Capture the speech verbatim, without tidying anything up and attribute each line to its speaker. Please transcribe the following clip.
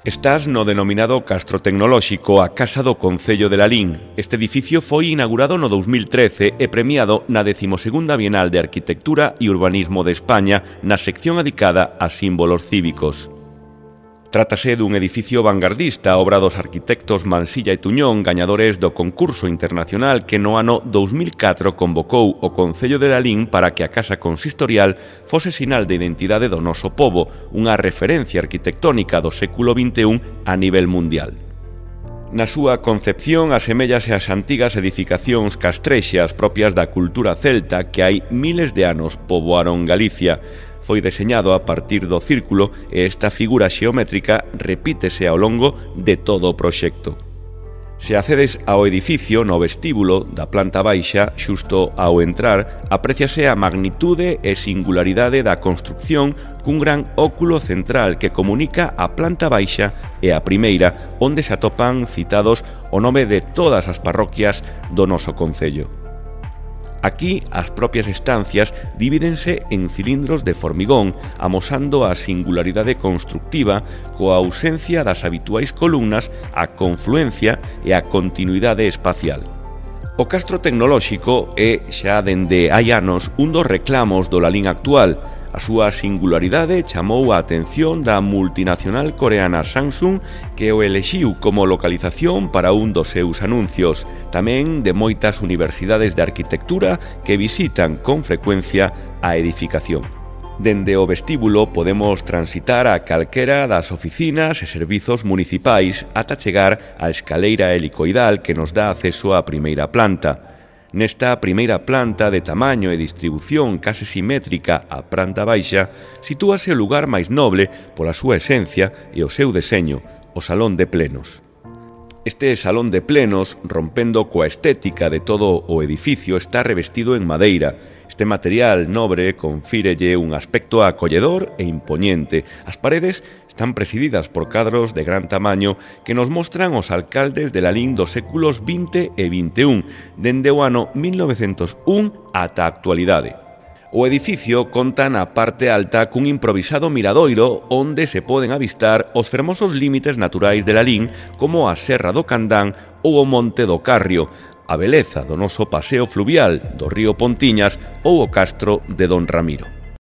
Speaker 1: Estás no denominado Castro Tecnolóxico, a Casa do Concello de Lalín. Este edificio foi inaugurado no dous mil trece e premiado na décima segunda Bienal de Arquitectura e Urbanismo de España na sección dedicada a símbolos cívicos. Trátase dun edificio vanguardista, obra dos arquitectos Mansilla e Tuñón, gañadores do concurso internacional que no ano dous mil catro convocou o Concello de Lalín para que a Casa Consistorial fose sinal de identidade do noso pobo, unha referencia arquitectónica do século vinte e un a nivel mundial. Na súa concepción aseméllase ás antigas edificacións castrexas propias da cultura celta que hai miles de anos poboaron Galicia. Foi deseñado a partir do círculo e esta figura xeométrica repítese ao longo de todo o proxecto. Se accedes ao edificio no vestíbulo da planta baixa, xusto ao entrar, apréciase a magnitude e singularidade da construcción cun gran óculo central que comunica a planta baixa e a primeira, onde se atopan citados o nome de todas as parroquias do noso concello. Aquí, as propias estancias divídense en cilindros de formigón, amosando a singularidade constructiva coa ausencia das habituais columnas, a confluencia e a continuidade espacial. O Castro Tecnolóxico é, xa dende hai anos, un dos reclamos do Lalín actual. A súa singularidade chamou a atención da multinacional coreana Samsung, que o elixiu como localización para un dos seus anuncios, tamén de moitas universidades de arquitectura que visitan con frecuencia a edificación. Dende o vestíbulo podemos transitar a calquera das oficinas e servizos municipais ata chegar á escaleira helicoidal que nos dá acceso á primeira planta. Nesta primeira planta de tamaño e distribución case simétrica á planta baixa, sitúase o lugar máis noble pola súa esencia e o seu deseño, o Salón de Plenos. Este Salón de Plenos, rompendo coa estética de todo o edificio, está revestido en madeira. Este material nobre confírelle un aspecto acolledor e impoñente. As paredes están presididas por cadros de gran tamaño que nos mostran os alcaldes de Lalín dos séculos vinte e vinte e un, dende o ano mil novecentos un ata a actualidade. O edificio conta na parte alta cun improvisado miradoiro onde se poden avistar os fermosos límites naturais de Lalín como a Serra do Candán ou o Monte do Carrio, a beleza do noso paseo fluvial do río Pontiñas ou o Castro de Don Ramiro.